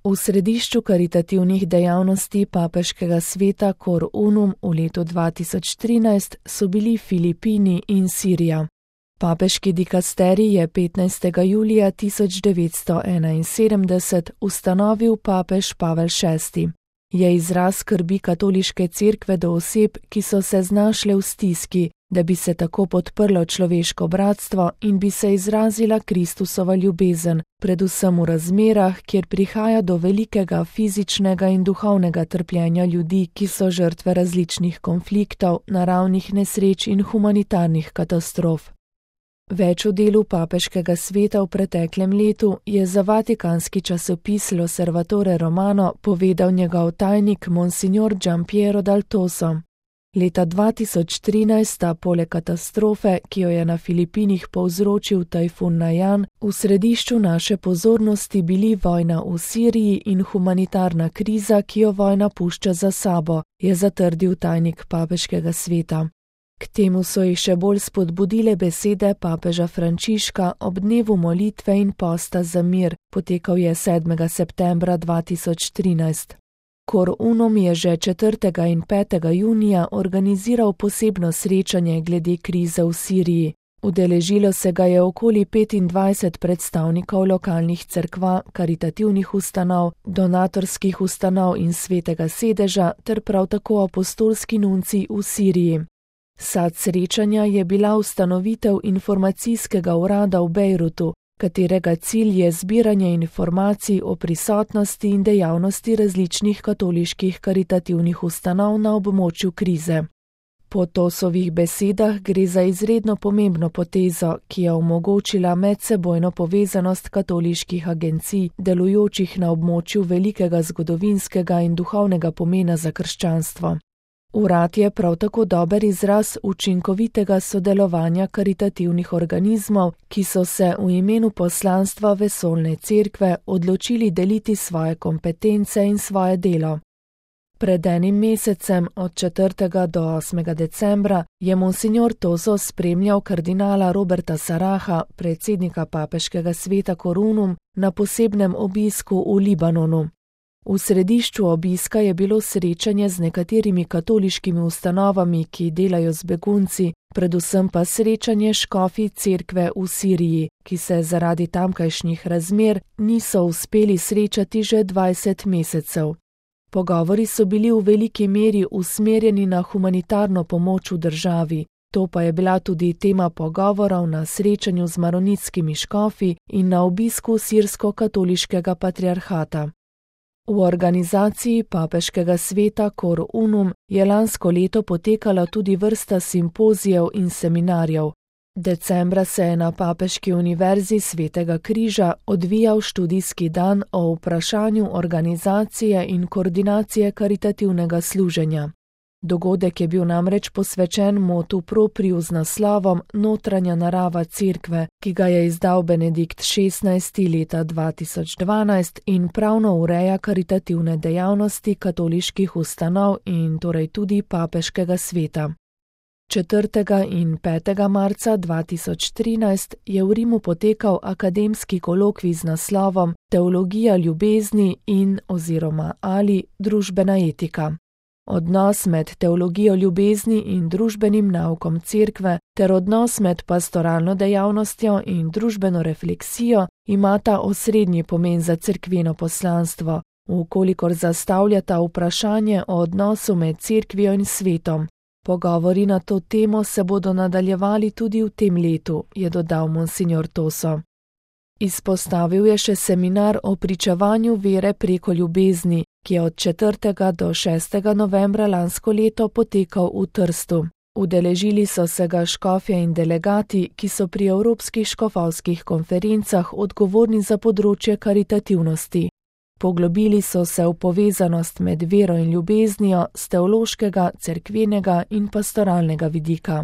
V središču karitativnih dejavnosti papeškega sveta Cor Unum v letu 2013 so bili Filipini in Sirija. Papeški dikasterij je 15. julija 1971 ustanovil papež Pavel VI. Je izraz skrbi katoliške cerkve do oseb, ki so se znašle v stiski, da bi se tako podprlo človeško bratstvo in bi se izrazila Kristusova ljubezen, predvsem v razmerah, kjer prihaja do velikega fizičnega in duhovnega trpljenja ljudi, ki so žrtve različnih konfliktov, naravnih nesreč in humanitarnih katastrof. Več o delu papeškega sveta v preteklem letu je za vatikanski časopis L'Osservatore Romano povedal njegov tajnik Monsignor Giampiero Dal Toso. Leta 2013 sta poleg katastrofe, ki jo je na Filipinih povzročil tajfun Najan, v središču naše pozornosti bili vojna v Siriji in humanitarna kriza, ki jo vojna pušča za sabo, je zatrdil tajnik papeškega sveta. K temu so jih še bolj spodbudile besede papeža Frančiška ob dnevu molitve in posta za mir, potekal je 7. septembra 2013. Cor Unum je že 4. in 5. junija organiziral posebno srečanje glede krize v Siriji. Udeležilo se ga je okoli 25 predstavnikov lokalnih cerkva, karitativnih ustanov, donatorskih ustanov in svetega sedeža ter prav tako apostolski nunci v Siriji. Sad srečanja je bila ustanovitev informacijskega urada v Bejrutu, katerega cilj je zbiranje informacij o prisotnosti in dejavnosti različnih katoliških karitativnih ustanov na območju krize. Po Tosovih besedah gre za izredno pomembno potezo, ki je omogočila medsebojno povezanost katoliških agencij, delujočih na območju velikega zgodovinskega in duhovnega pomena za krščanstvo. Urad je prav tako dober izraz učinkovitega sodelovanja karitativnih organizmov, ki so se v imenu poslanstva vesoljne cerkve odločili deliti svoje kompetence in svoje delo. Pred enim mesecem, od 4. do 8. decembra, je Monsignor Toso spremljal kardinala Roberta Saraha, predsednika papeškega sveta Cor Unum, na posebnem obisku v Libanonu. V središču obiska je bilo srečanje z nekaterimi katoliškimi ustanovami, ki delajo z begunci, predvsem pa srečanje škofij cerkve v Siriji, ki se zaradi tamkajšnjih razmer niso uspeli srečati že 20 mesecev. Pogovori so bili v veliki meri usmerjeni na humanitarno pomoč v državi, to pa je bila tudi tema pogovorov na srečanju z maronitskimi škofi in na obisku sirsko-katoliškega patriarhata. V organizaciji papeškega sveta Cor Unum je lansko leto potekala tudi vrsta simpozijev in seminarjev. Decembra se je na Papeški univerzi Svetega križa odvijal študijski dan o vprašanju organizacije in koordinacije karitativnega služenja. Dogodek je bil namreč posvečen motu propriu z naslovom Notranja narava cerkve, ki ga je izdal Benedikt XVI. Leta 2012 in pravno ureja karitativne dejavnosti katoliških ustanov in torej tudi papeškega sveta. 4. in 5. marca 2013 je v Rimu potekal akademski kolokvij z naslovom Teologija ljubezni in oziroma ali družbena etika. Odnos med teologijo ljubezni in družbenim naukom cerkve ter odnos med pastoralno dejavnostjo in družbeno refleksijo imata osrednji pomen za cerkveno poslanstvo, vkolikor zastavljata vprašanje o odnosu med cerkvijo in svetom. Pogovori na to temo se bodo nadaljevali tudi v tem letu, je dodal Monsignor Toso. Izpostavil je še seminar o pričevanju vere preko ljubezni, ki je od 4. do 6. novembra lansko leto potekal v Trstu. Udeležili so se ga škofje in delegati, ki so pri evropskih škofovskih konferencah odgovorni za področje karitativnosti. Poglobili so se v povezanost med vero in ljubeznijo z teološkega, cerkvenega in pastoralnega vidika.